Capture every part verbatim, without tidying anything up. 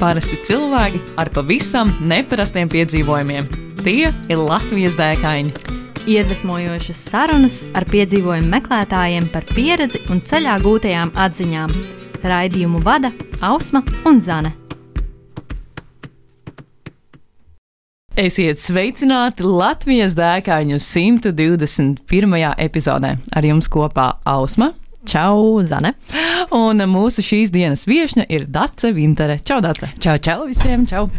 Parasti cilvēki ar pavisam neparastiem piedzīvojumiem. Tie ir Latvijas dēkaini. Iedvesmojošas sarunas ar piedzīvojumu meklētājiem par pieredzi un ceļā gūtajām atziņām. Raidījumu vada Ausma un Zane. Esiet sveicināti Latvijas dēkaņu simt divdesmit pirmajā epizodē. Ar jums kopā Ausma. Čau, Zane. Un mūsu šīs dienas viešņa ir Dace Vintere. Čau, Dace. Čau, čau visiem, čau.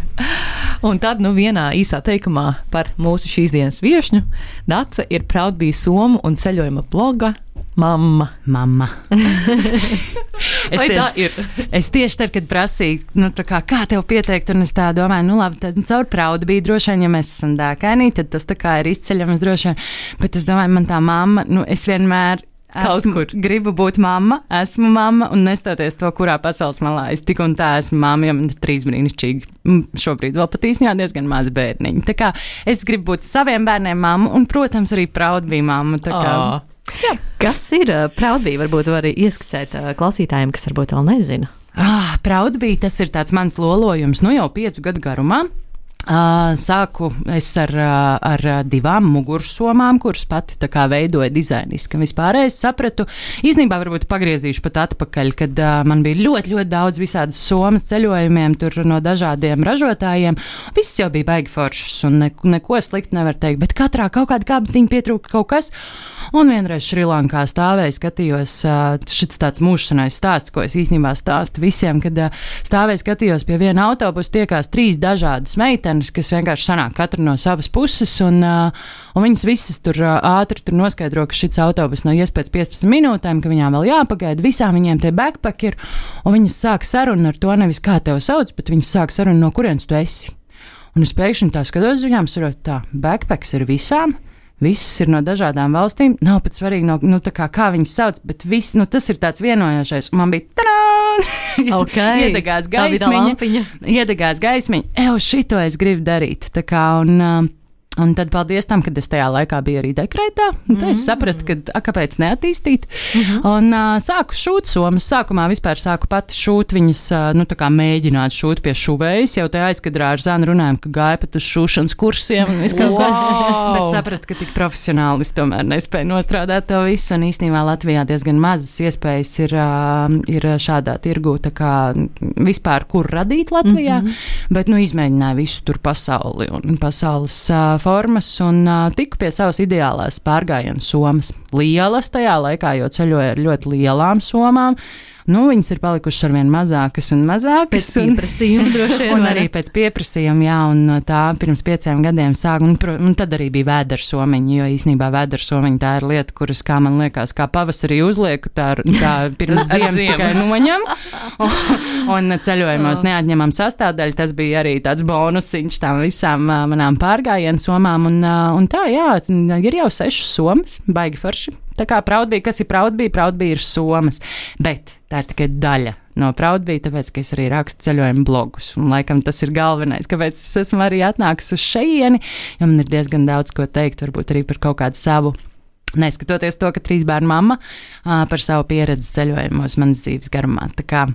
Un tad, nu, vienā īsā teikumā par mūsu šīs dienas viešņu. Dace ir Proudbee somu un ceļojuma bloga mamma. Mamma. es, tieši, es tieši tad, kad prasīju, nu, tā kā, kā tev pieteikt, un es tā domāju, nu, labi, tad caur Proudbee droši vien, ja mēs esam dēkaini, tad tas tā kā ir izceļams droši vien. Bet es domāju, man tā mamma, nu, es vienmēr Esmu, gribu būt mamma, esmu mamma, un nestoties to, kurā pasaules malā es tik un tā esmu mamma, jo man ir trīs brīnišķīgi, šobrīd vēl pat īstenībā diezgan maz bērniņi. Tā kā es gribu būt saviem bērniem mamma, un, protams, arī Proudbee mamma. Tā kā, oh. Jā, kas ir uh, Proudbee? Varbūt var arī ieskicēt uh, klausītājiem, kas varbūt vēl nezina. Ah, Proudbee, tas ir tāds mans lolojums, nu jau piecu gadu garumā. Uh, sāku es ar, uh, ar divām mugursomām, kuras pati tā kā veidoja dizainiski. Vispār es sapratu, īstenībā varbūt pagriezīšu pat atpakaļ, kad uh, man bija ļoti, ļoti daudz visādas somas ceļojumiem tur no dažādiem ražotājiem. Viss jau bija baigi foršs un ne, neko sliktu nevar teikt, bet katrā kaut kāda kābatiņa pietrūka kaut kas. Un vienreiz Šrilankā stāvēju, skatījos, uh, šits tāds mūžšanais stāsts, ko es īstenībā stāstu visiem, kad uh, stāvēju, skatījos pie viena autobusa tiekās trīs dažādas meitenes, kas vienkārši sanāk katra no savas puses, un, uh, un viņas visas tur uh, ātri tur noskaidro, ka šis autobus nav ies pēc piecpadsmit minūtēm, ka viņām vēl jāpagaida, visām viņiem tie backpack ir, un viņas sāk sarunu ar to nevis kā tev sauc, bet viņas sāk sarunu no kurienes tu esi. Un es pēkšņi tā skatos viņām, sarot tā, backpacks ir visām, visas ir no dažādām valstīm, nav pat svarīgi, no, nu, tā kā, kā viņas sauc, bet viss, nu, tas ir tāds vienojošais, un man bija tadā! Okay. Iedegās gaismiņa, iedegās gaismiņa, ev, šito es gribu darīt, tā kā, un, un tad paldies tam, kad es tajā laikā biju arī dekrētā, un tad es sapratu, ka, a, kāpēc neattīstīt, mm-hmm. un uh, sāku šūt somas, sākumā vispār sāku pati šūt viņas, uh, nu, tā kā mēģināt šūt pie šuvējas, jau tajā aizkadrā ar Zanu runājam, ka gāja pat uz šūšanas kursiem, un viss kaut wow. kā, bet sapratu, ka tik profesionāli es tomēr nespēju nostrādāt to visu, un īstenībā Latvijā diezgan mazas iespējas ir, uh, ir šādā tirgū, tā kā vispār, kur radīt Latvijā, mm-hmm. bet, nu, izmēģināju visu tur pasauli un pasaules uh, formas un uh, tiku pie savas ideālās pārgājienu somas. Lielas tajā laikā, jo ceļoju ar ļoti lielām somām. Nu, viņas ir palikušas arvien mazākas un mazākas. Pēc pieprasījuma droši vien. Un arī pēc pieprasījuma, jā, un tā pirms pieciem gadiem sāku, un, un tad arī bija vēdersomiņa, jo īstenībā vēdersomiņa tā ir lieta, kuras, kā man liekas, kā pavasarī uzlieku, tā, tā pirms ziemas tikai noņem, un, un ceļojumos neatņemam sastāvdaļu, tas bija arī tāds bonusiņš tām visām manām pārgājienu somām, un, un tā, jā, ir jau sešas somas, baigi forši. Tā kā Proudbee, kas ir Proudbee? Proudbee ir somas, bet tā ir tikai daļa no Proudbee, tāpēc, ka es arī rakstu ceļojumu blogus, un laikam tas ir galvenais, kāpēc es esmu arī atnākusi uz šeieni, jo man ir diezgan daudz ko teikt, varbūt arī par kaut kādu savu, neskatoties to, ka trīs bērnu mamma, par savu pieredzi ceļojumos manas dzīves garumā. Tā kā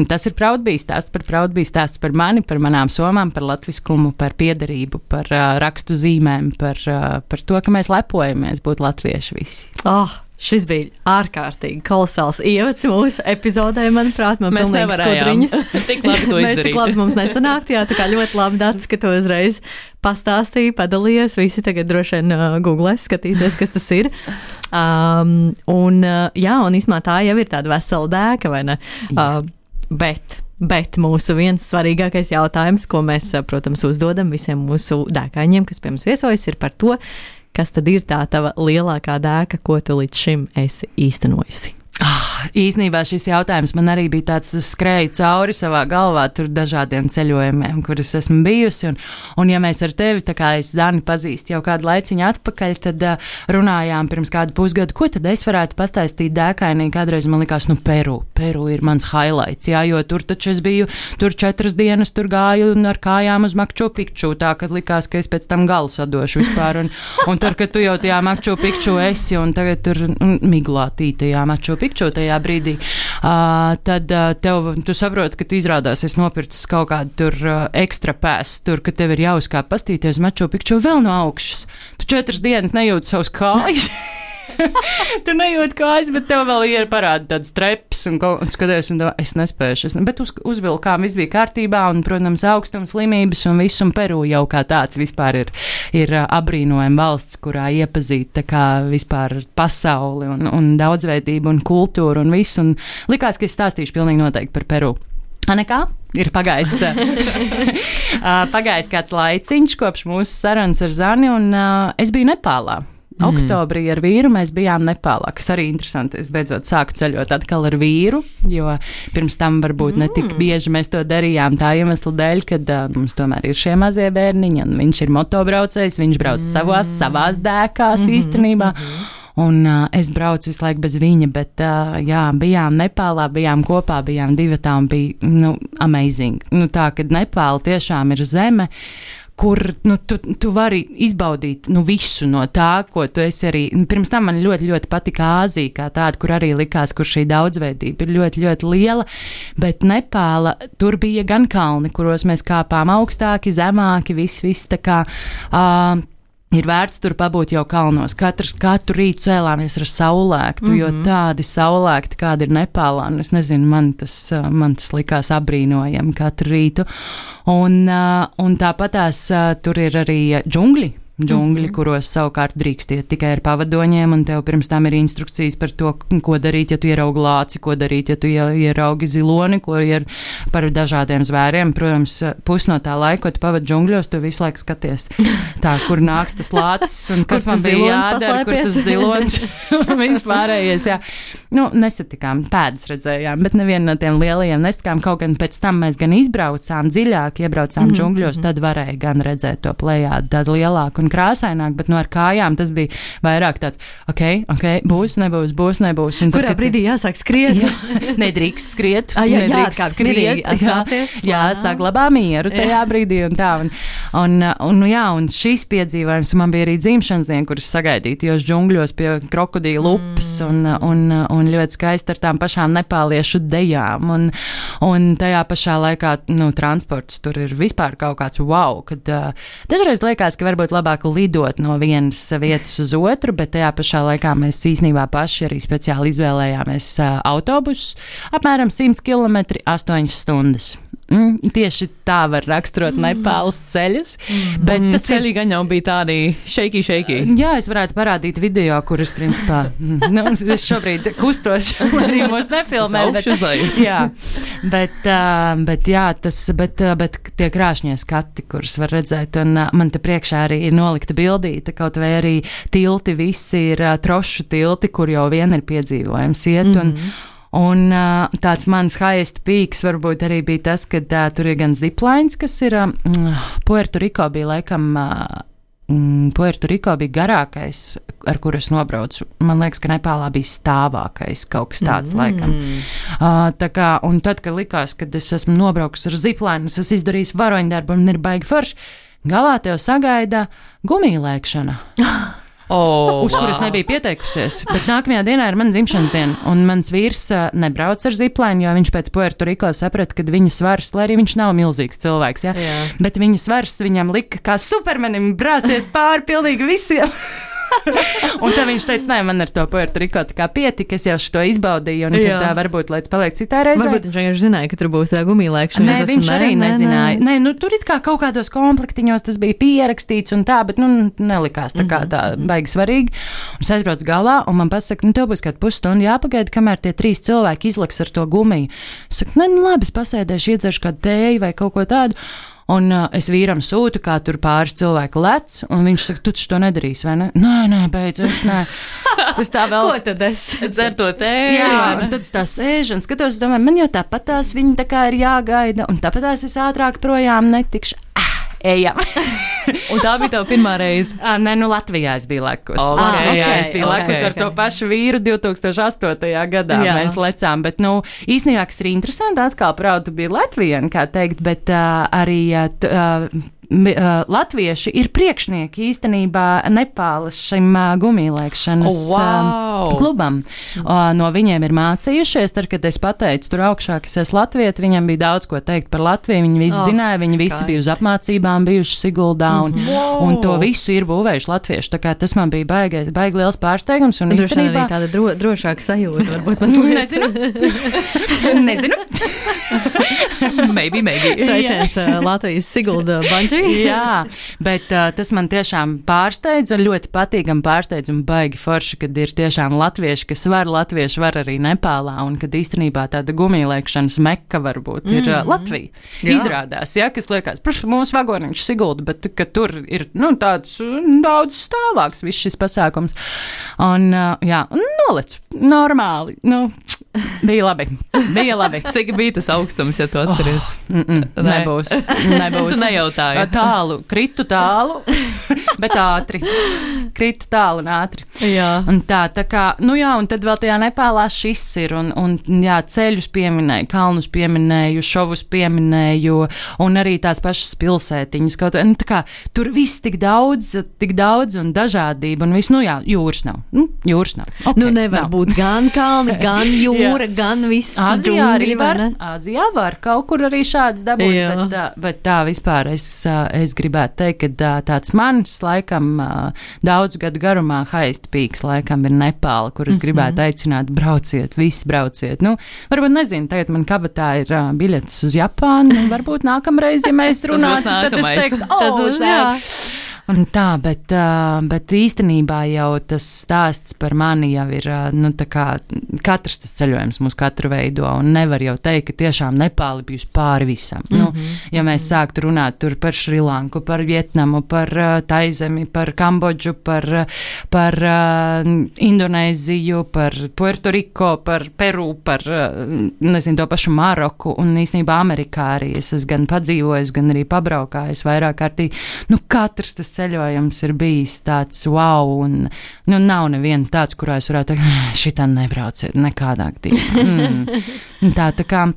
tas ir Proudbee stāsts par Proudbee stāsts par mani, par manām somām, par latviskumu, par piederību, par uh, rakstu zīmēm, par, uh, par to, ka mēs lepojamies būt latvieši visi. Oh, šis bija ārkārtīgi kolosāls ievads mūsu epizodē, manuprāt, man mēs pilnīgi skudriņas. Tik labi to izdarīt. Mēs tik labi mums nesanākt, jā, tā kā ļoti labi Dats, ka to uzreiz pastāstīja, padalījies, visi tagad droši vien uh, googlēs, skatīsies, kas tas ir. Um, un, uh, jā, un īstenībā tā jau ir tāda vesela dēka, vai ne? Uh, Bet, bet mūsu viens svarīgākais jautājums, ko mēs, protams, uzdodam visiem mūsu dēkaņiem, kas pie mums viesojas, ir par to, kas tad ir tā tava lielākā dēka, ko tu līdz šim esi īstenojusi. Ah, īsnībā šis jautājums man arī bija tāds, skrēju cauri savā galvā tur dažādiem ceļojumiem, kuras esmu bijusi, un, un ja mēs ar tevi, tā kā es Zani pazīstu jau kādu laiciņu atpakaļ, tad uh, runājām pirms kādu pusgadu, ko tad es varētu pastāstīt dēkainī, kādreiz man likās, nu, Peru, Peru ir mans highlights, jā, jo tur taču es biju, tur četras dienas tur gāju un ar kājām uz Makču Pikču, tā, kad likās, ka es pēc tam galu sadošu vispār, un, un tur, kad tu jau tajā Makču Pikču esi, un tagad tur mm, miglātītajā Makču Pikču, tajā tajā brīdī, uh, tad uh, tev, tu saproti, ka tu izrādās esi nopircis kaut kādu tur uh, ekstra pēs, tur, ka tev ir jāuzkāp pastīties Maču Pikču vēl no augšas. Tu četras dienas nejūti savus kājas. Tu nejūti kājas, bet tev vēl ir parāda tāds treps un, un skaties, un tā, es nespēju. Es, bet uz, uzvilkām, viss bija kārtībā un, protams, augstums, slimības un viss, un Peru jau kā tāds vispār ir, ir abrīnojama valsts, kurā iepazīt tā kā vispār pasauli un, un daudzveidību un kultūru un visu. Un likās, ka es stāstīšu pilnīgi noteikti par Peru. A, nekā? Ir pagājis, pagājis kāds laiciņš kopš mūsu sarunas ar Zani, un uh, es biju Nepālā. Mm. Oktobrī ar vīru mēs bijām Nepālā, kas arī interesanti. Es beidzot sāku ceļot atkal ar vīru, jo pirms tam varbūt mm. ne tik bieži mēs to darījām tā iemesla dēļ, kad uh, mums tomēr ir šie mazie bērniņi, un viņš ir motobraucējs, viņš brauc mm. savās, savās dēkās mm-hmm. īstenībā. Mm-hmm. Un uh, es braucu visu laiku bez viņa, bet uh, jā, bijām Nepālā, bijām kopā, bijām divatā un bija, nu, amazing. Nu, tā, kad Nepāla tiešām ir zeme, kur nu, tu, tu vari izbaudīt nu, visu no tā, ko tu esi arī. Pirms tam man ļoti, ļoti patika Āzija kā tāda, kur arī likās, kur šī daudzveidība ir ļoti, ļoti liela, bet Nepāla, tur bija gan kalni, kuros mēs kāpām augstāki, zemāki, viss, viss tā kā. Uh, Ir vērts tur pabūt jau kalnos. Katrs, katru rītu cēlāmies ar saulēktu, mm-hmm. jo tādi saulēkti, kādi ir Nepālā, un es nezinu, man tas, man tas likās abrīnojami katru rītu. Un, un tāpatās tur ir arī džungļi. Džungļi, mm-hmm. kuros savukārt drīkst iet tikai ar pavadoņiem, un tev pirms tam ir instrukcijas par to, ko darīt, ja tu ieraugi lāci, ko darīt, ja tu ieraugi ziloni, ko ir par dažādiem zvēriem. Protams, pus no tā laika, ko tu pavadi džungļos, tu visu laiku skaties tā, kur nāks tas lācis, un kas man bija jādara, kur tas zilons, un vispārējais, jā. Nu, nesatikām, pēdas redzējām, bet nevienu no tiem lielajiem nesatikām, kaut gan pēc tam mēs gan izbraucām dziļāk, iebraucām mm-hmm. džungļos, tad varēja gan redzēt to plejādu, tad lielāku un krāsaināk, bet no ar kājām tas bija vairāk tāds, ok, ok, būs, nebūs, būs, nebūs. Un kurā tad, brīdī jāsāk skriet? Jā, nedrīkst skriet. A, jā, nedrīkst jā, skriet. Atkāpties, jā, jā, saglabā mieru tajā jā. brīdī un tā. Un, un, un, jā, un šīs piedzīvojums, man bija arī dzimšanas diena, kuras sagaidītajos džungļos pie krokodīla upes un, un, un ļoti skaisti ar tām pašām nepāliešu dejām. Un, un tajā pašā laikā, nu, transports tur ir vispār kaut kāds wow, kad uh, dažreiz liekas, ka varbūt labāk lidot no vienas vietas uz otru, bet tajā pašā laikā mēs īstenībā paši arī speciāli izvēlējāmies uh, autobusus, apmēram simt kilometri, astoņas stundas. Mm, tieši tā var raksturot Nepāles ceļus. Mm. Bet mm, tas ceļi gan jau bija tādi shaky, shaky. Jā, es varētu parādīt video, kuras, principā, nu, es šobrīd kustos, lai arī mūs nefilmē. Bet, jā, bet, uh, bet, jā, tas, bet, uh, bet tie krāšņie skati, kurus var redzēt, un uh, man te priekšā arī ir nolikta bildīte, kaut vai arī tilti, visi ir uh, trošu tilti, kur jau vien ir piedzīvojums iet, un mm-hmm. Un uh, tāds mans highest peaks varbūt arī bija tas, ka uh, tur ir gan ziplines, kas ir uh, Puerto Rico bija laikam, uh, Puerto Rico bija garākais, ar kur es nobraucu. Man liekas, ka Nepālā bija stāvākais kaut kas tāds mm. laikam. Uh, tā kā, un tad, kad likās, kad es esmu nobraukus ar zipline, es esmu izdarījis varoņdarbu un ir baigi forši, galā tev sagaida gumijlēkšana. Oh, uz wow. kuras nebija pieteikusies, bet nākamajā dienā ir mana dzimšanas diena, un mans vīrs uh, nebrauc ar ziplēnu, jo viņš pēc Puerto Rico saprata, ka viņa svars, lai arī viņš nav milzīgs cilvēks, ja? Jā. Bet viņa svars viņam lika kā supermenim brāzties pāri pilnīgi visiem. Un tad viņš teica, nē, man ar to Puerto Rico tā kā pietika, es jau šo izbaudīju, un tad tā varbūt, lai es paliek citā reizē. Varbūt viņš vienkārši zināja, ka tur būs tā gumijlēkšana. Nē, viņš arī nē, nezināja. Nē, nē. Nē, nu tur it kā kaut kādos komplektiņos tas bija pierakstīts un tā, bet, nu, nelikās tā kā tā baigi svarīgi. Un es aizbraucu galā, un man pasaka, nu, tev būs kāda pusstundu jāpagaida, kamēr tie trīs cilvēki izlaks ar to gumiju. Es saku, nē, nu, labi, es pasēdēšu, iedzeršu kādu tēju vai kaut ko tādu. Un uh, es vīram sūtu, kā tur pāris cilvēku lec, un viņš saka, tu to nedarīsi, vai ne? Nē, nē, beidz, es nē. Tas tā vēl. Ko tad es? Dzer to tēju. Jā, un tad es tā sēžu un skatos, domāju, man jau tāpatās viņi tā kā ir jāgaida, un tāpatās es ātrāk projām netikšu. Ah, ejam. Un tā bija tava pirmā reize? À, nē, nu Latvijā es biju lekus. Oh, Latvijā okay, okay, es biju okay, lekus okay. ar to pašu vīru divā tūkstoš astotajā gadā. Jā. Mēs lecām, bet, nu, īstenībā, kas ir interesanti, atkal, praudu bija Latvijana, kā teikt, bet uh, arī uh, uh, latvieši ir priekšnieki īstenībā Nepālas šim uh, gumijlēkšanas oh, wow. uh, klubam. Uh, no viņiem ir mācījušies, tad, kad es pateicu tur augšā, ka es esmu latvieti, viņam bija daudz ko teikt par Latviju, viņi visi oh, zināja, viņi skaisti. Visi bija uz apmācībām, bijuši Siguldā un, mm-hmm. wow. un to visu ir būvējuši latvieši, tā kā tas man bija baigi, baigi liels pārsteigums. Un droši vien arī tāda dro, drošāka sajūta, varbūt mazliet. Nezinu. Nezinu. maybe, maybe. Sveiciens uh, Latvijas Sigulda Banģī. Jā, bet uh, tas man tiešām pārsteidz un ļoti patīkam pārsteidz un baigi forši, kad ir tiešām latvieši, kas var, latvieši var arī Nepālā un kad īstenībā tāda gumijlēkšanas mekka varbūt ir mm-hmm. uh, Latvija. Jā. Izrādās, ja, kas liekas, protams, mūsu vagoniņš Sigulda, bet ka tur ir, nu, tāds daudz stāvāks viss šis pasākums. Un, uh, jā, un nolec normāli, nu, bija labi, bija labi. Cik bija tas augstums, ja tu atceries? Oh, mm -mm, ne. Nebūs, nebūs. Tu nejautāji. Tālu, kritu tālu, bet ātri. Kritu tālu un ātri. Jā. Un tā, tā kā, nu jā, un tad vēl tajā Nepālā šis ir, un, un jā, ceļus pieminēju, kalnus pieminēju, šovus pieminēju, un arī tās pašas pilsētiņas, kaut nu, tā kā, tur viss tik daudz, tik daudz un dažādība, un viss, nu jā, jūras nav, nu, jūras nav. Okay, nu nevar nav. būt gan kalni, gan jūra, gan viss Āzijā arī var, ne? Āzijā var kaut kur arī šāds dabūt, bet, tā, bet tā vispār es, es gribētu teikt, ka tāds mans laikam daudz gadu garumā highest peaks laikam ir Nepāla, kur es gribētu mm-hmm. aicināt brauciet, visi brauciet. Nu, varbūt nezinu, tagad man kabatā ir uh, biļetes uz Japānu, un varbūt nākamreiz, ja mēs runātu, tad es teiktu, oh, tas būs, jā. Un tā, bet, uh, bet īstenībā jau tas stāsts par mani jau ir, uh, nu tā kā katrs tas ceļojums mūs katru veido, un nevar jau teikt, ka tiešām Nepāli bijusi pāri visam. Mm-hmm. Nu, ja mēs sāktu runāt tur par Šrilanku, par Vietnamu, par uh, Taizemi, par Kambodžu, par, par uh, Indonēziju, par Puerto Riko, par Peru, par, uh, nezinu, to pašu Maroku, un īstenībā Amerikā arī es esmu gan padzīvojis, gan arī pabraukājis vairāk kārtī. Nu, katrs tas ceļojums ir bijis tāds wow, un nu, nav neviens tāds, kurā es varētu teikt, šitā nebrauciet nekādā gadījumā. Mm. Tā, tā kā.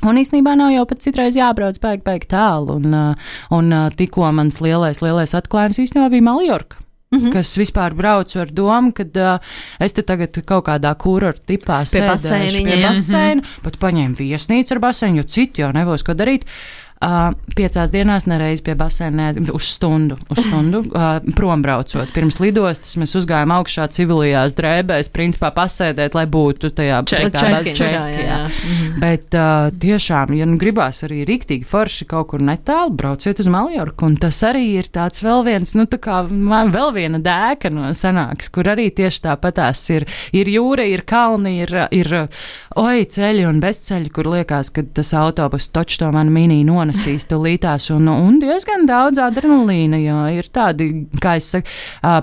Un īstenībā nav jau pat citreiz jābrauc baigi, baigi tālu, un, un tikko mans lielais, lielais atklājums īstenībā bija Maljorka. Mm-hmm. Kas vispār braucu ar domu, kad uh, es te tagad kaut kādā kurorta tipā sēdēšu pie baseina, mm-hmm. pat paņēmu viesnīcu ar baseinu, jo citi jau nebūs ko darīt. Uh, piecās dienās nereiz pie baseina, uz stundu, uz stundu uh, prom braucot. Pirms lidostas mēs uzgājām augšā civilajās drēbēs, principā pasēdēt, lai būtu tajā čeki. Mm-hmm. Bet uh, tiešām, ja nu gribās arī riktīgi forši kaut kur netālu, brauciet uz Maljorku, un tas arī ir tāds vēl viens, nu tā kā vēl viena dēka no sanāks, kur arī tieši tāpatās ir, ir jūra, ir kalni, ir, ir oi ceļi un bezceļi, kur liekas, ka tas autobus toč to man mini non nesīs tulītās, un, un diezgan daudz adrenalīna, jo ir tādi, kā es saku,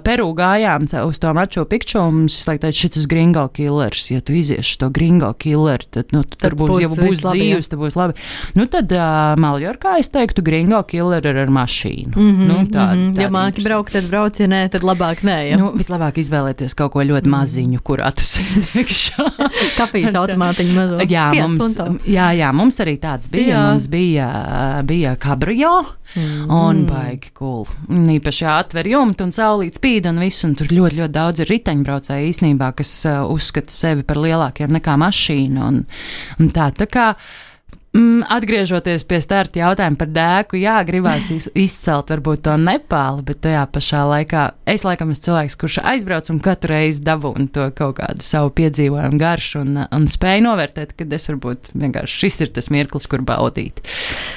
Peru gājām uz to Maču Pikču, un mums es laiku teicu, šitas gringo killers, ja tu izieši to gringo killeru, tad, nu, tad, tad būs, ja būs dzīves, tad būs labi. Nu, tad uh, Maljorkā es teiktu, gringo killer ir ar mašīnu. Mm-hmm, nu, tād, mm-hmm. Ja māki braukt, tad brauc, ja nē, tad labāk nē, ja? Nu, vislabāk izvēlēties kaut ko ļoti maziņu, kurā tu sēdēkšā. Kafijas automātiņu mazo. Jā, mums, jā, jā, mums arī tāds bija, jā. Mums bija bija kabrio, mm. un baigi cool. Un īpaši atver jumtu un saulīt spīd un visu, un tur ļoti, ļoti daudz ir riteņbraucēji īstenībā, kas uh, uzskata sevi par lielākiem nekā mašīnu, un, un tā, tā kā Mm, atgriežoties pie starta jautājuma par dēku, jā, gribās izcelt varbūt to Nepālu, bet tajā pašā laikā es laikam esmu cilvēks, kurš aizbrauc un katru reizi dabūnu to kaut kādu savu piedzīvojumu garšu un, un spēju novērtēt, kad es varbūt vienkārši šis ir tas mirklis, kur baudīt.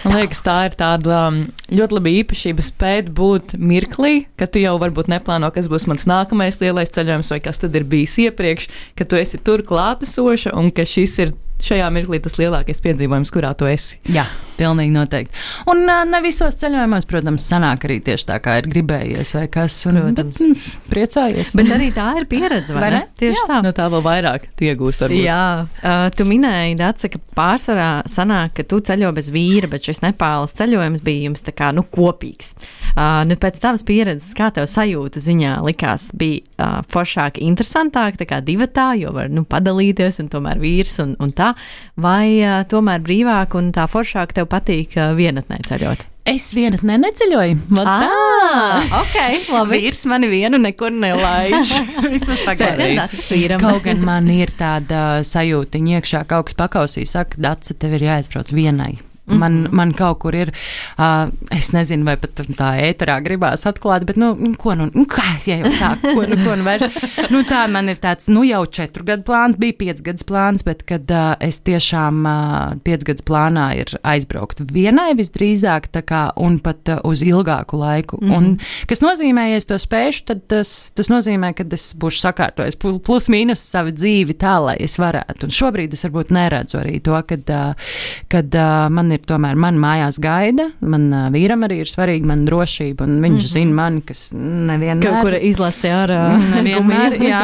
Man liekas, tā ir tāda ļoti laba īpašība spēt būt mirklī, ka tu jau varbūt neplāno, kas būs mans nākamais lielais ceļojums vai kas tad ir bijis iepriekš, ka tu esi tur klātesoša un ka šis ir šajā mirklī tas lielākais piedzīvojums, kurā tu esi. Jā, pilnīgi noteikti. Un uh, ne visos ceļojumos, protams, sanāk arī tieši tā, kā ir gribējies vai kas, un bet, mm, priecājies. Bet arī tā ir pieredze, vai, vai ne? Tieši jā. Tā. No tā vēl vairāk iegūst varbūt. Jā, uh, tu minēji, Dace, ka pārsvarā sanāk, ka tu ceļo bez vīra, bet šis Nepāles ceļojums bija jums tā kā, nu, kopīgs. Uh, nu, pēc tavas pieredzes, kā tev sajūta ziņā likās, bija uh, foršāk, interesantāk, tā kā divatā, jo var, nu, padalīties un tomēr vīrs un, un tā, vai uh, tomēr brīvāk un tā foršāk tev patīk uh, vienatnē ceļot? es viena neceļoju. Ah, ok, labi. Vīrs mani vienu nekur nelaiž. Vismaz pagaidīs. Kaut gan man ir tāda sajūtiņa iekšā, kaut kas pakausī, saka, Dace, tev ir jāaizbrauc vienai. Man, man kaut kur ir, uh, es nezinu, vai pat tā ēterā gribās atklāt, bet, nu, ko nu, nu kā, ja jau sāk, ko nu, ko nu vairs. Nu, tā man ir tāds, nu, jau četru gadu plāns, bija piec gadus plāns, bet, kad uh, es tiešām uh, piec gadus plānā ir aizbraukt vienai visdrīzāk, tā kā, un pat uh, uz ilgāku laiku. Mm-hmm. Un, kas nozīmē, ja es to spēšu, tad tas, tas nozīmē, ka es būšu sakārtojis plus mīnus savu dzīvi tā, lai es varētu. Un šobrīd es varbūt neredzu arī to, kad, uh, kad uh, man ir tomēr man mājās gaida, man uh, vīram arī ir svarīga man drošība, un viņš mm-hmm. zina mani, kas nevienmēr. Kaut kur izlaci ārā. Nevienmēr, jā.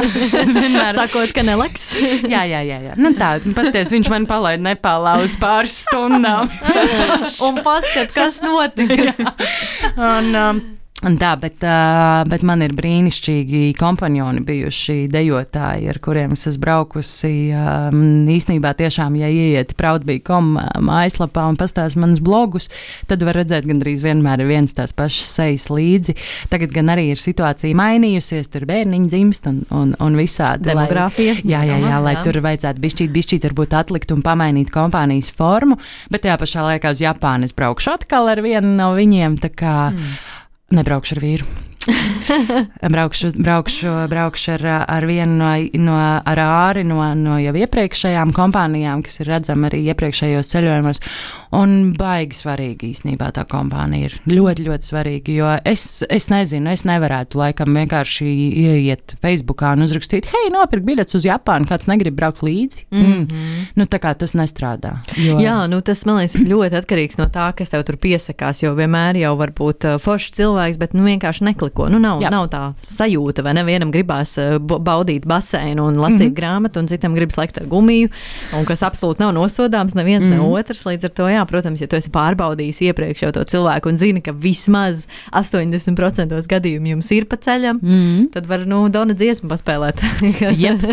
Nevienmēr. Sakot, ka nelaks. jā, jā, jā, jā. Nu tā, pasties, viņš man palaid Nepālā uz pāris stundām. un paskat, kas notika. un, um, Un tā, bet, uh, bet man ir brīnišķīgi kompanjoni bijuši dejotāji, ar kuriem es esmu braukusi. Um, īstenībā tiešām, ja ieiet proudbee dot com mājaslapā un pastāst manus blogus, tad var redzēt gandrīz vienmēr ir viens tās pašas sejas līdzi. Tagad gan arī ir situācija mainījusies, tur bērniņi dzimst un, un, un visādi. Demogrāfija. Lai, jā, jā, jā, jā, lai tur vajadzētu bišķīt, bišķīt varbūt atlikt un pamainīt kompānijas formu, bet tajā pašā laikā uz Japānu es braukšu atkal ar vienu no viņiem, tā kā mm. Nebraukšu ar vīru. braukšu, braukšu, braukšu ar, ar vienu no, no ar āri no, no jau iepriekšējām kompānijām, kas ir redzama arī iepriekšējos ceļojumos. Un baigi svarīgi īstenībā tā kompānija ir. Ļoti, ļoti svarīgi, jo es, es nezinu, es nevarētu laikam vienkārši ieiet Facebookā un uzrakstīt, hei, nopirkt biļetes uz Japānu, kāds negrib braukt līdzi. Mm-hmm. Mm. Nu, tā kā tas nestrādā. Jo... Jā, nu tas, man liekas, ļoti atkarīgs no tā, kas tev tur piesakās, jo vienmēr jau var būt uh, foršs cilvēks, bet nu vienkārši nekliko. Nu, nav, nav tā sajūta, vai nevienam gribās uh, baudīt baseinu un lasīt mm-hmm. grāmatu, un citam gribas lekt ar gumiju, un kas absolūti nav nosodāms neviens mm-hmm. ne otrs, līdz ar to, jā, protams, ja tu esi pārbaudījis iepriekš jau to cilvēku un zini, ka vismaz astoņdesmit procenti gadījumu jums ir pa ceļam, mm-hmm. tad var, nu, Dona dziesmu paspēlēt. Yep.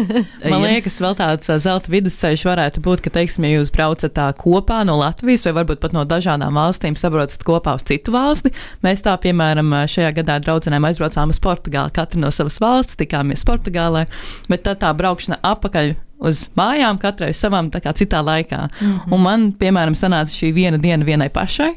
Man liekas, vēl tāds zelta vidusceļš varētu būt, ka, teiksim, ja jūs braucat tā kopā no Latvijas vai varbūt pat no dažādām valstīm sabraucat kopā uz citu valsti. Mēs tā, piemēram, šajā gadā draudzenēm aizbraucām uz Portugāli, katru no savas valsts, tikāmies Portugālē, bet tad tā braukšana apakaļ uz mājām, katrai uz savām tā kā citā laikā. Mm-hmm. Un man, piemēram, sanāca šī viena diena vienai pašai,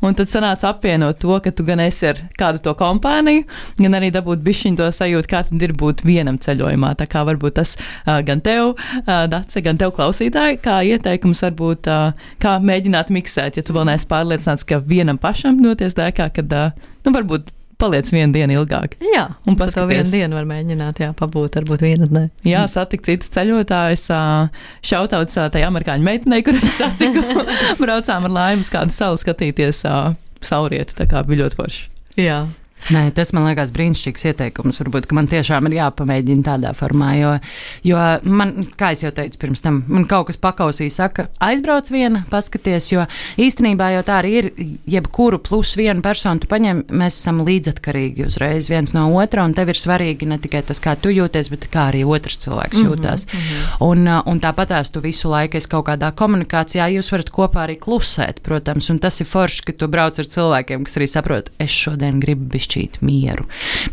un tad sanāca apvienot to, ka tu gan esi ar kādu to kompāniju, gan arī dabūt bišķiņu to sajūtu, kā tad ir būt vienam ceļojumā. Tā kā varbūt tas uh, gan tev, uh, Dace, gan tev klausītāji, kā ieteikums varbūt, uh, kā mēģināt miksēt, ja tu vēl neesi pārliecināts, ka vienam pašam doties dēkā, kad, uh, nu, varbūt paliec vienu dienu ilgāk. Jā, un par to vienu dienu var mēģināt, jā, pabūt, varbūt vienu ne. Jā, satikt citus ceļotājus, šautauts tai amerikāņu meitenei, kur es satiku, braucām ar laivu uz kādu salu skatīties saulrietu, tā kā bija ļoti forši. Jā. Nē, tas man liekas brīnišķīgs ieteikums. Varbūt, ka man tiešām ir jāpamēģina tādā formā, jo, jo man, kā es jau teicu pirms tam, man kaut kas pakausī saka, aizbrauc viena, paskaties, jo īstenībā jau tā arī ir, jebkuru plus vienu personu tu paņem, mēs esam līdzatkarīgi uzreiz viens no otra, un tev ir svarīgi ne tikai tas, kā tu jūties, bet kā arī otrs cilvēks jūtās. Mm-hmm. Un, un tāpatās tu visu laiku esi kaut kādā komunikācijā, jūs varat kopā arī klusēt, protams, un tas ir forši, ka tu brauc ar cilvēkiem, kas arī saprot, es šodien gribu bišķi mieru.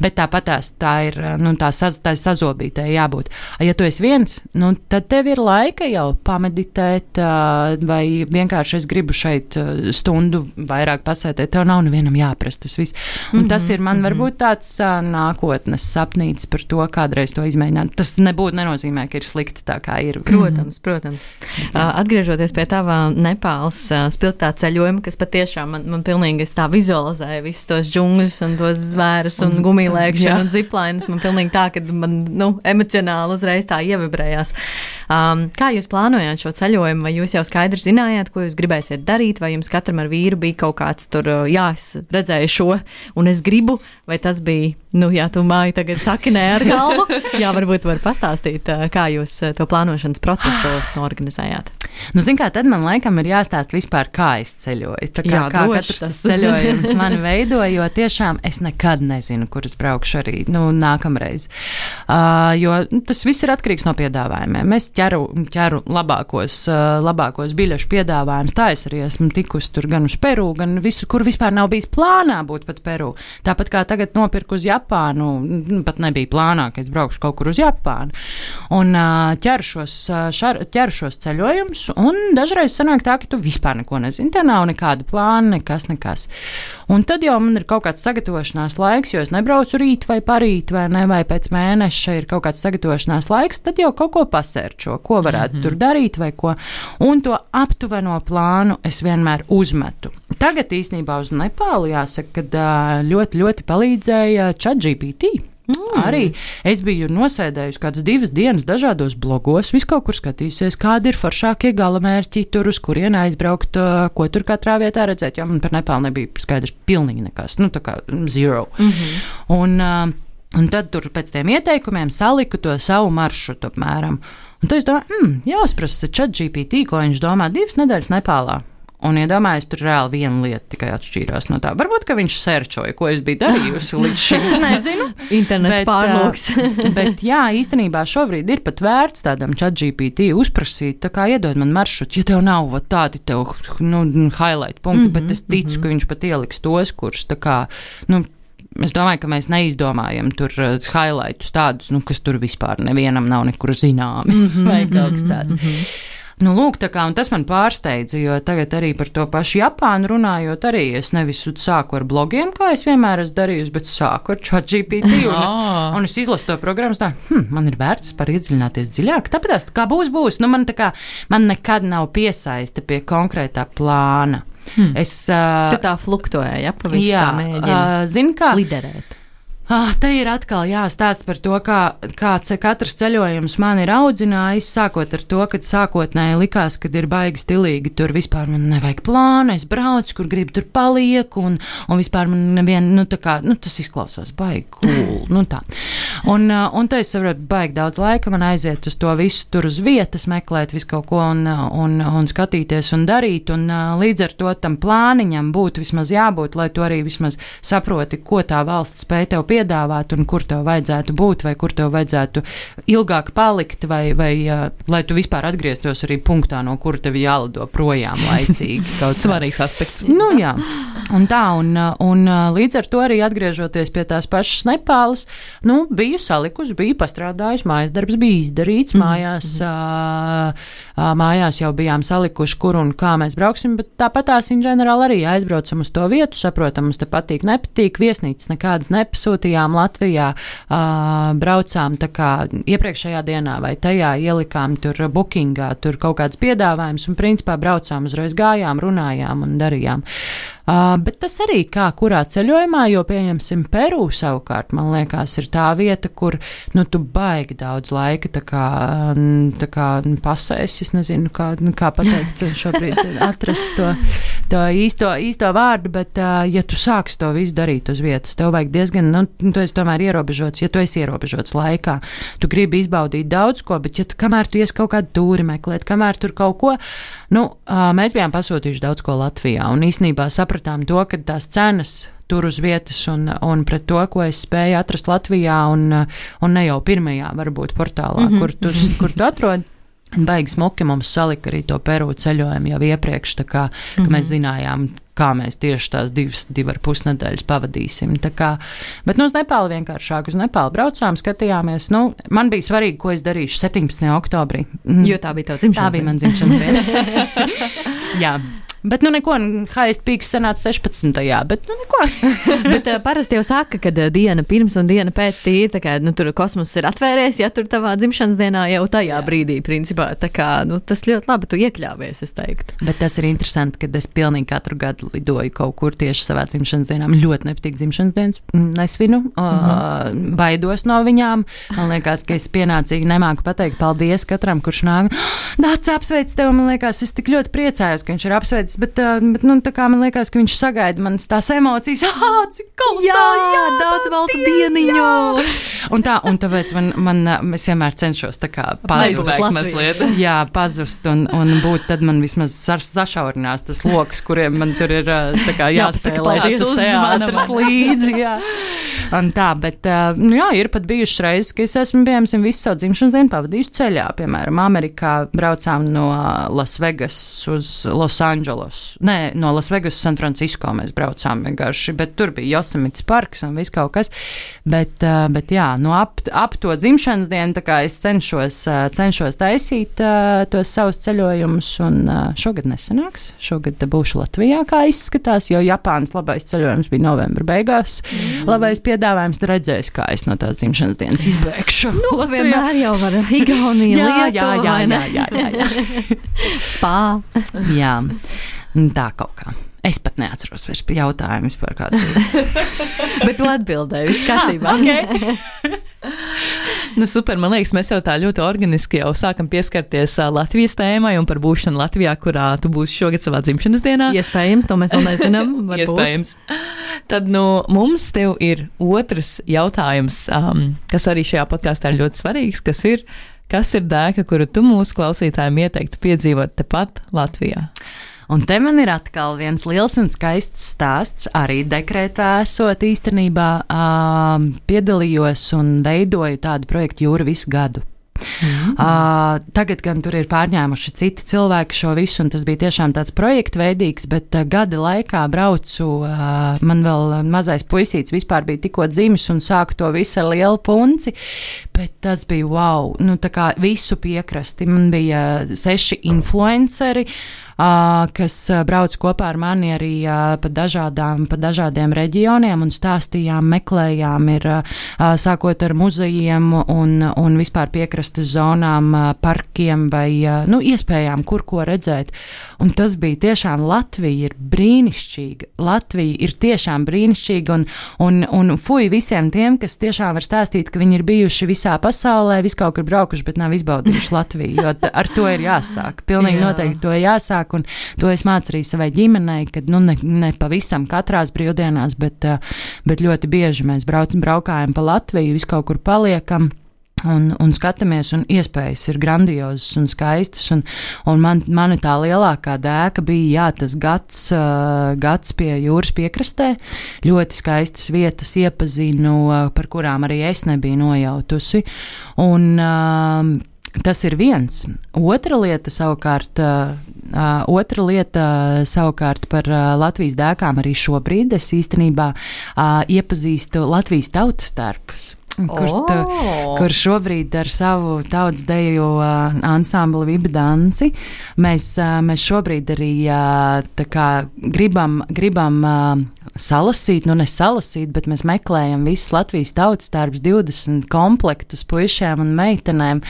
Bet tāpatās tā ir, nu, tā, saz, tā sazobītē jābūt. Ja tu esi viens, nu, tad tev ir laika jau pameditēt, vai vienkārši es gribu šeit stundu vairāk pasētēt, tev nav nevienam jāprast tas viss. Un mm-hmm, tas ir man mm-hmm. varbūt tāds nākotnes sapnīts par to, kādreiz to izmēģināt. Tas nebūtu nenozīmē, ka ir slikti tā, kā ir. Protams, mm-hmm. protams. Uh, atgriežoties pie tavā Nepāles uh, spilgtā ceļojuma, kas patiešām man, man pilnīgi es tā vizualizēju visus tos džungļus un tos zvērus un, un gumijlēkšanu un ziplainus. Man pilnīgi tā, ka man, nu, emocionāli uzreiz tā ievibrējās. Um, kā jūs plānojāt šo ceļojumu? Vai jūs jau skaidri zinājāt, ko jūs gribēsiet darīt? Vai jums katram ar vīru bija kaut kāds tur, jā, es redzēju šo un es gribu? Vai tas bija, nu, jā, tu māji tagad saki nē ar galvu? Jā, varbūt var pastāstīt, kā jūs to plānošanas procesu organizējāt. Nu, zin kā, tad man laikam ir jāstāst vispār, kā es ceļoju. Tā kā, jā, kā droši, katrs tas ceļojums mani veido, jo tiešām es es nekad nezinu, kur es braukšu arī nu, nākamreiz. Uh, jo tas viss ir atkarīgs no piedāvājumiem. Es ķeru, ķeru labākos, uh, labākos biļešu piedāvājumus. Tā es arī esmu tikusi tur gan uz Peru, gan visu, kur vispār nav bijis plānā būt pat Peru. Tāpat kā tagad nopirku uz Japānu, pat nebija plānā, ka es braukšu kaut kur uz Japānu. Un uh, ķeru šos, šar, ķeru šos ceļojumus, un dažreiz sanāk tā, ka tu vispār neko nezini. Te nav nekāda plāna, nekas, nekas. Un tad jau man ir kaut kāds sagatavošanās laiks, jo es nebraucu rīt vai parīt, vai ne, vai pēc mēneša ir kaut kāds sagatavošanās laiks, tad jau kaut ko pasērčo, ko varētu mm-hmm. tur darīt vai ko. Un to aptuveno plānu es vienmēr uzmetu. Tagad īstenībā uz Nepālu jāsaka, ka ļoti, ļoti palīdzēja ChatGPT. Mm. Arī es biju nosēdējusi kādas divas dienas dažādos blogos, vis kaut kur skatījusies, kādi ir foršākie galamērķi tur, uz kurien aizbraukt, ko tur katrā vietā redzēt, jo man par Nepālu nebija skaidrs pilnīgi nekas, nu tā kā zero. Mm-hmm. Un, uh, un tad tur pēc tiem ieteikumiem saliku to savu maršrutu apmēram. Un tad es domāju, hmm, jāuzprasa ChatGPT, ko viņš domā divas nedēļas Nepālā. Un iedomājos, tur reāli viena lieta tikai atšķīrās no tā. Varbūt, ka viņš sērčoja, ko es biju darījusi līdz šim. Nezinu. Internet pārlūks. Bet jā, īstenībā šobrīd ir pat vērts tādam ChatGPT uzprasīt, tā kā iedod man maršrutu, ja tev nav vat, tādi tev, nu, highlight punkti, mm-hmm, bet es ticu, mm-hmm. ka viņš pat ieliks tos, kurus tā kā, nu, es domāju, ka mēs neizdomājam tur uh, highlightus tādus, nu, kas tur vispār nevienam nav nekur zināmi, mm-hmm, vai kaut kas tāds. Mm-hmm. Nu, lūk, tā kā, un tas man pārsteidza, jo tagad arī par to pašu Japānu runājot, arī es nevis sāku ar blogiem, kā es vienmēr esmu darījusi, bet sāku ar ChatGPT, un, es, un es izlasu to programmu, tā, hm, man ir vērts par iedziļināties dziļāk, tāpēc, kā būs, būs, nu, man tā kā, man nekad nav piesaiste pie konkrētā plāna. Hmm. Es, uh, tu tā fluktuē, ja, pa visu jā, tā mēģina uh, zin, kā, liderēt. Ah, te ir atkal jāstāsta par to, kā, kā katrs ceļojums man ir audzinājis, sākot ar to, kad sākotnēji likās, kad ir baigi stilīgi, tur vispār man nevajag plānu, es braucu, kur gribu, tur palieku, un, un vispār man nevien, nu tā kā, nu tas izklausās baigi cool, nu tā. Un, un te es saprotu, baigi daudz laika man aiziet uz to visu tur uz vietas, meklēt visu kaut ko un, un, un skatīties un darīt, un līdz ar to tam plāniņam būtu vismaz jābūt, lai tu arī vismaz saproti, ko tā valsts spēj tev piedāvāt un kur tev vajadzētu būt, vai kur tev vajadzētu ilgāk palikt, vai, vai uh, lai tu vispār atgrieztos arī punktā, no kura tev jālido projām laicīgi. Svarīgs aspekts. Nu jā, un tā, un, un līdz ar to arī atgriežoties pie tās pašas Nepālas, nu, biju salikusi, biju pastrādājusi, mājas darbs bija izdarīts, mājās, mm-hmm. uh, mājās jau bijām salikuši, kur un kā mēs brauksim, bet tāpat tās in ģenerāli arī aizbraucam uz to vietu, saprotam, mums te patīk, nepatīk, viesnīcas nekādas nepasūtījām Latvijā, uh, braucām tā kā iepriekšējā dienā vai tajā ielikām tur bookingā, tur kaut kāds piedāvājums un principā braucām, uzreiz gājām, runājām un darījām. Uh, bet tas arī kā kurā ceļojumā, jo pieņemsim Peru savukārt, man liekas, ir tā vieta, kur, nu, tu baigi daudz laika tā kā, tā kā pasēs, es nezinu, kā, kā pateikt šobrīd atrast to, to īsto, īsto vārdu, bet uh, ja tu sāks to visu darīt uz vietas, tev vajag diezgan, nu, tu esi tomēr ierobežots, ja tu esi ierobežots laikā, tu gribi izbaudīt daudz ko, bet ja tu, kamēr tu ies kaut kādu tūri meklēt, kamēr tur kaut ko, nu, uh, mēs bijām pasūtījuši daudz ko Latvijā, un īstenībā sapratām to, ka tās cenas tur uz vietas un, un pret to, ko es spēju atrast Latvijā un, un ne jau pirmajā, varbūt, portālā, mm-hmm. kur, tu, kur tu atrod. Baigi smuki mums salika arī to Peru ceļojumu jau iepriekš, tā kā, mm-hmm. ka mēs zinājām, kā mēs tieši tās divas, divi ar pus nedēļas pavadīsim. Tā kā, bet nu uz Nepālu vienkāršāk, uz Nepālu braucām, skatījāmies, nu, man bija svarīgi, ko es darīšu septiņpadsmitajā oktobrī. Jo tā bija tava dzimšanas diena. Tā bija man dzimšanas diena. Jā. Bet, nu, neko, highest peaks sanāca sešpadsmitajā, bet, nu, neko. Bet uh, parasti jau saka, ka uh, diena pirms un diena pēc tīri, tā kā, nu, tur kosmos ir atvērties, ja tur tavā dzimšanas dienā jau tajā Jā. brīdī, principā, tā kā, nu, tas ļoti labi tu iekļāvies, es teiktu. Bet tas ir interesanti, ka es pilnīgi katru gadu lidoju kaut kur tieši savā dzimšanas dienā. Man ļoti nepatīk dzimšanas dienas, nesvinu, mm-hmm. uh, baidos no viņām. Man liekas, ka es pienācīgi nemāku pateikt paldies katram, kurš nāk. Dāc, apsveic tev, man liekas, es tik ļoti priecājos, ka viņš ir apsveicis pateicis, bet, bet nu, tā kā man liekas, ka viņš sagaida manas tās emocijas. Ah, cik kolosāli! Jā, jā, daudz baltu dieniņu! Un tā, un tāpēc man, man, es vienmēr cenšos tā kā pazust. mazliet. Jā, pazust un, un būt, tad man vismaz sašaurinās tas loks, kuriem man tur ir tā kā jāspēlē šis uzmanības līdzi, jā. Un tā, bet, nu jā, ir pat bijušas reizes, ka es esmu, piemēram, visu savu dzimšanas dienu pavadījusi ceļā. Piemēram, Amerikā braucām no Las Vegas uz Los Angeles. Nē, no Las Vegas uz San Francisco mēs braucām vienkārši, bet tur bija Josemites parks un viss kaut kas. Bet, bet jā, no ap, ap to dzimšanas dienu, tā kā es cenšos, cenšos taisīt tos savus ceļojumus, un šogad nesanāks. Šogad būšu Latvijā, kā izskatās, jo Japānas labais ceļojums bija novembra beigās. Mm. Labais piedāvājums, redzēs, kā es no tās dzimšanas dienas izbēgšu. Nu, vienmēr jau var Igaunija, Lietuva, jā, jā, jā, jā, jā, jā. Spā. Jā, tā kaut kā. Es pat neatceros vairs jautājumus par kādu. Bet tu atbildēji, viss kārtībā. Okay. Nu, super, man liekas, mēs jau tā ļoti organiski jau sākam pieskarties uh, Latvijas tēmai un par būšanu Latvijā, kurā tu būsi šogad savā dzimšanas dienā. Iespējams, to mēs vēl nezinām. Iespējams. Tad, nu, mums tev ir otrs jautājums, um, kas arī šajā podkāstā ir ļoti svarīgs, kas ir, kas ir dēka, kuru tu mūsu klausītājiem ieteiktu piedzīvot tepat Latvijā? Un te man ir atkal viens liels un skaists stāsts, arī dekrētā esot īstenībā uh, piedalījos un veidoju tādu projektu Jūra visu gadu. Mm-hmm. Uh, tagad gan tur ir pārņēmuši citi cilvēki šo visu, un tas bija tiešām tāds projektveidīgs, bet uh, gada laikā braucu, uh, man vēl mazais puisīts vispār bija tikko dzimis un sāku to visu ar lielu punci, bet tas bija wow, nu tā kā visu piekrasti, man bija seši influenceri, Uh, kas uh, brauc kopā ar mani arī uh, pa, dažādām, pa dažādiem reģioniem un stāstījām, meklējām, ir uh, sākot ar muzejiem un, un vispār piekrastes zonām, uh, parkiem vai uh, nu, iespējām, kur ko redzēt. Un tas bija tiešām, Latvija ir brīnišķīga. Latvija ir tiešām brīnišķīga un, un, un fuj visiem tiem, kas tiešām var stāstīt, ka viņi ir bijuši visā pasaulē, vis kaut kur braukuši, bet nav izbaudījuši Latviju, jo ar to ir jāsāk. Pilnīgi Jā. Noteikti to jāsāk. Un to es mācu arī savai ģimenei, kad nu, ne, ne pavisam katrās brīvdienās, bet, bet ļoti bieži mēs brauc, braukājam pa Latviju, visu kaut kur paliekam. Un, un skatāmies, un iespējas ir grandiozas un skaistas, un, un man, mani tā lielākā dēka bija, jā, tas gads, uh, gads pie jūras piekrastē, ļoti skaistas vietas iepazinu, uh, par kurām arī es nebiju nojautusi, un uh, tas ir viens. Otra lieta savukārt, uh, uh, otra lieta savukārt par uh, Latvijas dēkām arī šobrīd es īstenībā uh, iepazīstu Latvijas tautas tarpus. Kur, tu, oh. kur šobrīd ar savu tautas deju uh, ansambli Viba danci mēs, uh, mēs šobrīd arī uh, tā kā gribam, gribam uh, salasīt, nu ne salasīt, bet mēs meklējam visas Latvijas tautas tarbs divdesmit komplektus puišiem un meitenēm.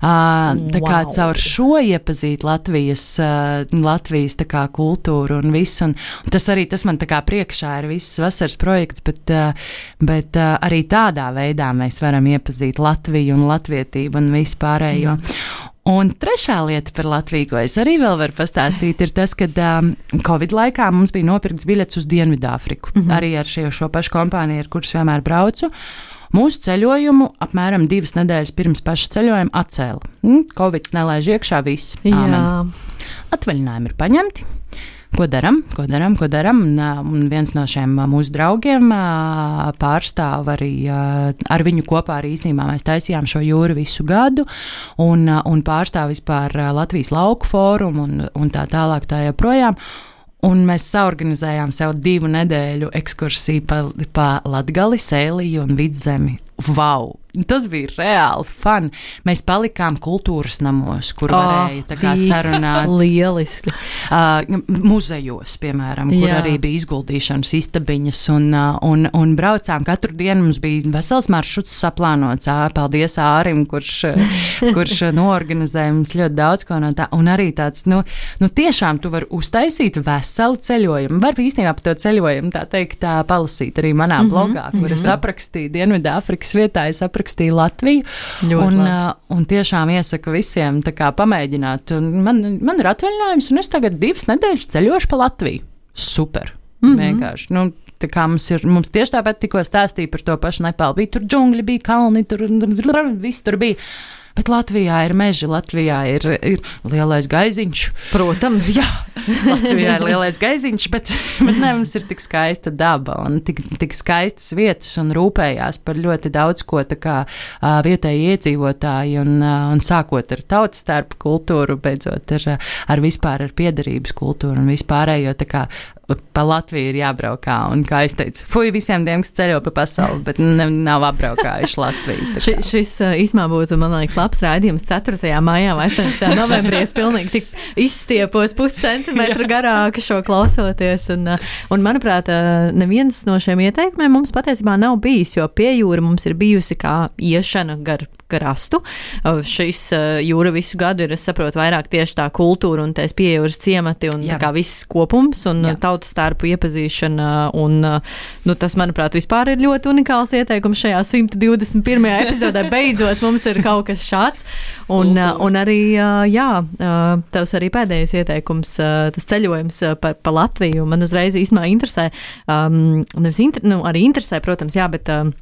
Uh, tā kā wow. caur šo iepazīt Latvijas, uh, Latvijas tā kā kultūru un visu. Un, un tas arī, tas man tā kā priekšā ir viss vasaras projekts, bet, uh, bet uh, arī tādā veidā mēs varam iepazīt Latviju un latvietību un visu pārējo. Mm. Un trešā lieta par Latviju, ko es arī vēl varu pastāstīt, ir tas, ka um, Covid laikā mums bija nopirkts biļets uz Dienvidāfriku. Mm-hmm. Arī ar šo, šo pašu kompāniju, ar kuras vienmēr braucu. Mūsu ceļojumu apmēram divas nedēļas pirms paša ceļojuma atcēla. Mm, Covids nelaiž iekšā viss. Āmen. Atvaļinājumi ir paņemti. Ko daram, ko daram, ko daram? Un, un viens no šiem mūsu draugiem pārstāv arī, ar viņu kopā arī īstenībā mēs taisījām šo jūru visu gadu, un, un pārstāv vispār Latvijas lauku fórumu un, un tā tālāk tā joprojām. Un mēs saorganizējām sev divu nedēļu ekskursiju pa, pa Latgali, Sēliju un Vidzemi. Vau! Tas bija reāli fun. Mēs palikām kultūras namos, kur oh, varēja tā kā sarunāt. Lieliski. Uh, muzejos, piemēram, kur Jā. Arī bija izguldīšanas istabiņas, un, uh, un, un braucām. Katru dienu mums bija vesels maršruts saplānots. Paldies Ārim, kurš, kurš noorganizēja mums ļoti daudz ko no tā. Un arī tāds, nu, nu tiešām tu vari uztaisīt veselu ceļojumu. Var īstenībā par to ceļojumu, tā teikt, tā palasīt arī manā blogā, kur es aprakstīju Dienvidāfrikas vietā, es aprakstīju aprakstīja Latviju. Ļoti un, labi. un tiešām iesaku visiem tā kā pamēģināt. Un man, man ir atvaļinājums, un es tagad divas nedēļas ceļošu pa Latviju. Super. Mm-hmm. Vienkārši. Nu, tā kā mums ir, mums tieši tāpat tikko stāstīja par to pašu Nepālu. Bija tur džungļi, bija kalni, tur viss tur bija. Bet Latvijā ir meži, Latvijā ir, ir lielais gaiziņš. Protams. Jā, Latvijā ir lielais gaiziņš, bet, bet ne, mums ir tik skaista daba un tik, tik skaistas vietas un rūpējās par ļoti daudz ko tā kā uh, vietēji iedzīvotāji un, uh, un sākot ar tautas starp kultūru, beidzot ar, ar vispār ar piederības kultūru un vispārējo tā kā pa Latviju ir jābraukā, un kā es teicu, fuj visiem tiem, kas ceļo pa pasauli, bet ne, nav apbraukājuši Latviju. Ši, šis īsumā būtu, man liekas, labs raidījums ceturtajā maijā vai astoņpadsmitajā novembrī. Es pilnīgi tik izstiepos puscentimetru garāk šo klausoties, un, un manuprāt, neviens no šiem ieteikumiem mums patiesībā nav bijis, jo pie jūra mums ir bijusi kā iešana gar krastu. Šis jūra visu gadu ir, es saprotu, vairāk tieši tā kultūra un tais piejūras ciemati un Jā. tā kā viss kopums un Jā. tautas starpu iepazīšana un, nu, tas, manuprāt, vispār ir ļoti unikāls ieteikums šajā simt divdesmit pirmajā epizodē. Beidzot, mums ir kaut kas šāds. Un, un arī, jā, tavs arī pēdējais ieteikums, tas ceļojums pa, pa Latviju, man uzreiz īstenībā interesē, um, nevis inter, nu, arī interesē, protams, jā, bet um,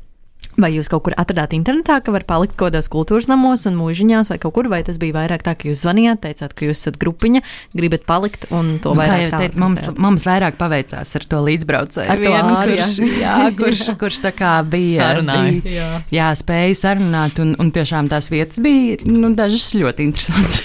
vai jūs kaut kur atradāt internetā, ka var palikt kaut kādos kultūras namos un mūžiņās vai kaut kur, vai tas bija vairāk tā, ka jūs zvanījāt, teicāt, ka jūs esat grupiņa, gribat palikt un to nu, vairāk tā? Teicu, mums, mums vairāk paveicās ar to līdzbraucēju. Ar to vienu, āri, kurš, jā, kurš, kurš tā kā bija, bija jā. jā, spēja sarunāt un, un tiešām tās vietas bija, nu, dažas ļoti interesantas.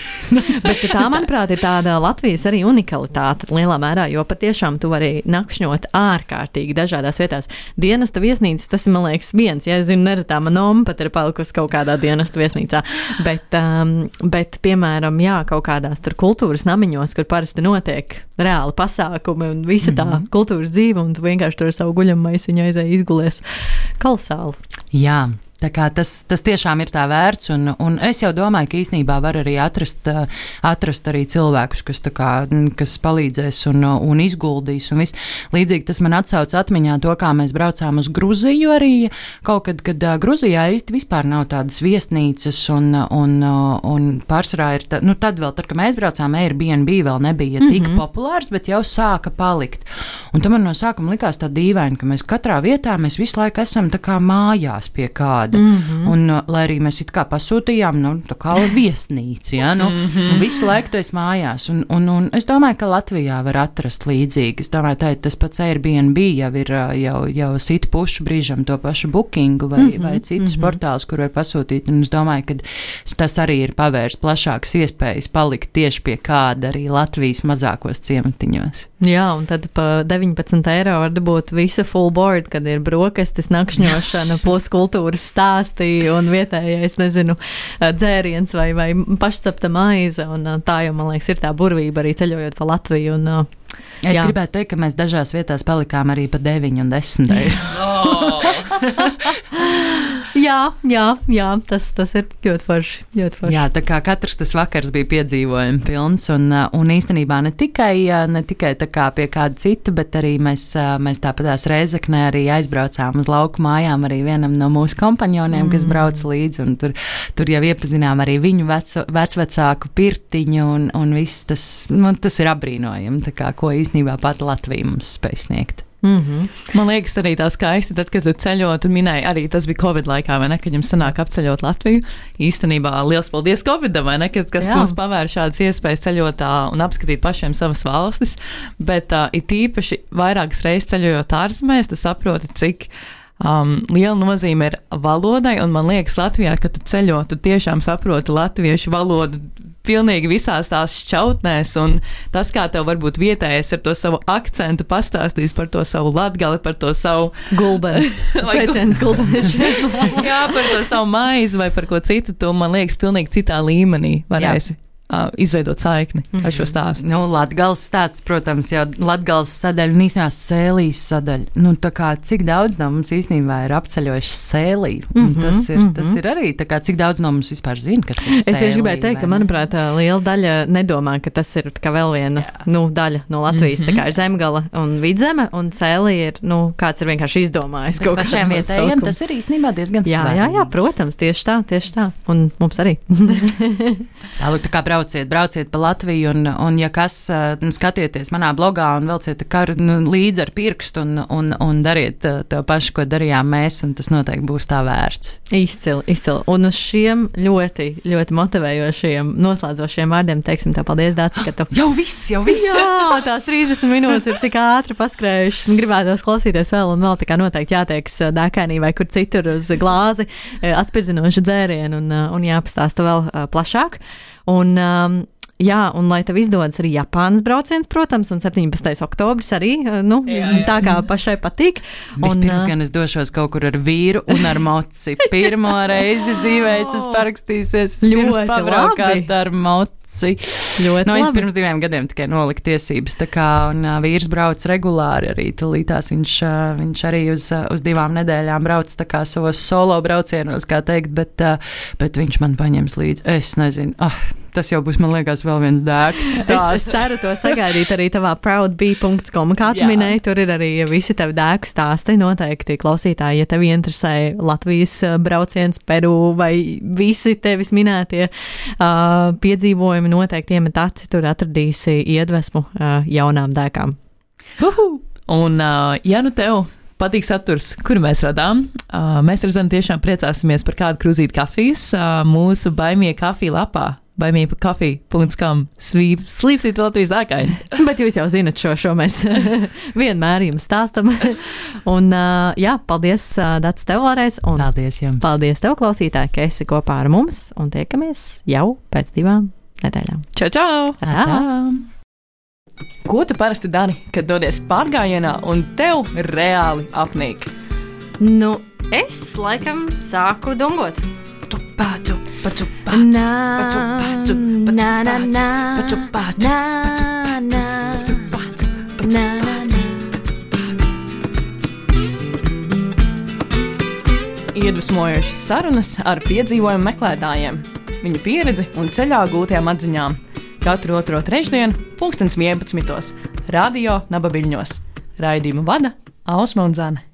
Bet tā, manuprāt, ir tāda Latvijas arī unikalitāte lielā mērā, jo patiešām tu vari nakšņot ārkārtīgi dažādās vietās. Dienesta viesnīcas, tas ir, man liekas, viens, ja es zinu, neretā man oma pat ir palikusi kaut kādā dienesta viesnīcā, bet, um, bet, piemēram, jā, kaut kādās tur kultūras namiņos, kur parasti notiek reāli pasākumi un visa tā mm-hmm. kultūras dzīve, un tu vienkārši tur savu guļammaisiņu aizēji izgulies kolosāli. Jā. Tā kā tas, tas tiešām ir tā vērts, un, un es jau domāju, ka īstenībā var arī atrast, atrast arī cilvēkus, kas, tā kā, kas palīdzēs un, un izguldīs. Un viss. Līdzīgi tas man atsauc atmiņā to, kā mēs braucām uz Gruziju arī kaut kad, kad Gruzijā īsti vispār nav tādas viesnīcas, un, un, un pārsvarā ir, tā, nu tad vēl, tad, kad mēs braucām, Airbnb vēl nebija tik mm-hmm. populārs, bet jau sāka palikt. Un tam man no sākuma likās tā dīvaini, ka mēs katrā vietā, mēs visu laiku esam tā kā mājās pie kāda. Mm-hmm. Un, lai arī mēs it kā pasūtījām, nu, tā kā viesnīca, ja, nu, mm-hmm. un visu laiku tu esi mājās. Un, un, un es domāju, ka Latvijā var atrast līdzīgi. Es domāju, tā, tas pats Airbnb jau ir, jau, jau sit pušu brīžam to pašu bookingu vai, mm-hmm. vai citus mm-hmm. portālus, kur var pasūtīt. Un es domāju, ka tas arī ir pavērst plašākas iespējas palikt tieši pie kāda arī Latvijas mazākos ciematiņos. Jā, un tad pa deviņpadsmit eiro var dabūt visu full board, kad ir brokastis, nakšņošana, plus kultūras stāstī un vietējais, nezinu, dzēriens vai, vai pašcepta maize, un tā jau, man liekas, ir tā burvība arī ceļojot pa Latviju. Un, es jā. gribētu teikt, ka mēs dažās vietās palikām arī pa deviņu un desmit eiro. Jā, jā, jā, tas, tas ir ļoti forši, ļoti forši. Jā, tā kā katrs tas vakars bija piedzīvojumi pilns, un, un īstenībā ne tikai, ne tikai tā kā pie kāda cita, bet arī mēs, mēs tāpatās Rēzeknē arī aizbraucām uz lauku mājām arī vienam no mūsu kompanioniem, mm. kas brauc līdzi, un tur, tur jau iepazinām arī viņu veco, vecvecāku pirtiņu, un, un viss tas, nu, tas ir apbrīnojami, tā kā, ko īstenībā pat Latvija mums spēj sniegt. Mm-hmm. Man liekas, arī tā skaisti, tad, kad tu ceļot, un minēji, arī tas bija Covid laikā, vai ne, kad jums sanāk apceļot Latviju. Īstenībā liels paldies Covidam, vai ne, kad, kas Jā. mums pavēra šādas iespējas ceļot un apskatīt pašiem savas valstis, bet uh, it īpaši vairākas reizes ceļojot ārzemēs, tu saproti, cik Um, liela nozīme ir valodai, un man liekas, Latvijā, kad tu ceļo, tu tiešām saproti latviešu valodu pilnīgi visās tās šķautnēs, un tas, kā tev varbūt vietējais ar to savu akcentu pastāstīs par to savu latgali, par to savu gulbeni, sveiciens gulbenieši. Jā, par to savu maizi vai par ko citu, tu, man liekas, pilnīgi citā līmenī varēsi. Jā. uh, izveidot saikni mm-hmm. ar šo stāstu. Nu, Latgales stāsts, protams, jau Latgales sadaļa un īstenībā Sēlijas sadaļa. Nu, tā kā cik daudz no mums īstenībā ir apceļojuši Sēliju. Mm-hmm, tas, ir, mm-hmm. tas ir arī, tā kā cik daudz no mums vispār zina, kas ir Sēlija. Es tieši gribēju teikt, ka, manuprāt, liela daļa nedomā, ka tas ir kā vēl viena nu, daļa no Latvijas. Mm-hmm. Tā kā ir Zemgala un Vidzeme, un Sēlija ir, nu, kāds ir vienkārši izdomājis bet kaut kādā vietējiem. Tas ir īstenībā diezgan svarīgi. Jā, jā, jā, protams, tieši tā, tieši tā. Un mums arī. Tālāk, tā kā brauciet, brauciet pa Latviju, un, un ja kas, skatieties manā blogā un velciet karu nu, līdzi ar pirkstu un, un, un dariet to pašu, ko darījām mēs, un tas noteikti būs tā vērts. Izcili, izcili. Un uz šiem ļoti, ļoti motivējošiem, noslēdzošiem vārdiem teiksim tev paldies, Dācis, ka tu... Jau viss, jau viss! Jā, tās trīsdesmit minūtes ir tik ātri paskrējušas, un gribētos klausīties vēl, un vēl tā kā noteikti jāteiks dēkainī vai kur citur uz glāzi, atspirdzinoši dzērienu, un, un jāpastāsta vēl plašāk. Un, um, jā, un lai tev izdodas arī Japānas brauciens, protams, un septiņpadsmitais oktobris arī, nu, jā, jā. Tā kā pašai patīk. Vispirms gan es došos kaut kur ar vīru un ar moci. Pirmo reizi dzīvē es esmu parakstījusies, es pirms pabraukāt ar moci. Ļoti no, es labi. Pirms diviem gadiem tikai noliku tiesības, tā kā, un uh, vīrs brauc regulāri arī tulītās, viņš, uh, viņš arī uz, uh, uz divām nedēļām brauc tā kā savos solo braucienos, kā teikt, bet, uh, bet viņš man paņems līdzi, es nezinu, ah, tas jau būs, man liekas, vēl viens dēks stāsts. Es, es ceru to sagaidīt arī tavā proudbee dot com, kā tu minēji, tur ir arī visi tavi dēku stāsti, noteikti klausītāji, ja tevi interesē Latvijas brauciens, Peru vai visi tevis minētie uh, piedzīvojumi, noteikti iemet aci, tur atradīsi iedvesmu uh, jaunām dēkām. Uhu! Un, uh, ja nu tev patīk saturs, kuru mēs radām, uh, mēs ar Zanu tiešām priecāsimies par kādu krūzīti kafijas uh, mūsu Baimie kafija lapā. baimie kafija dot com slīpsīt Latvijas dēkaini. Bet jūs jau zinat šo, šo mēs vienmēr jums stāstam. Un uh, jā, paldies uh, Dats tev vēlreiz. Un paldies jums. Paldies tev, klausītāji, ka esi kopā ar mums un tiekamies jau pēc divām nedēļām. Čau, čau! Tā. Ko tu parasti dari, kad dodies pārgājienā un tev reāli apnīk? Nu, es laikam sāku dungot. Paču, paču, Na, paču, paču, paču, na, na, na, paču, paču, na, na, paču, na, na, na. Iedvesmojošas sarunas ar piedzīvojumu meklētājiem, viņu pieredzi un ceļā gūtajām atziņām. Katru otro trešdienu, pulkstens vienpadsmitos, radio Nabaviļņos. Raidījumu vada Ausma un Zane.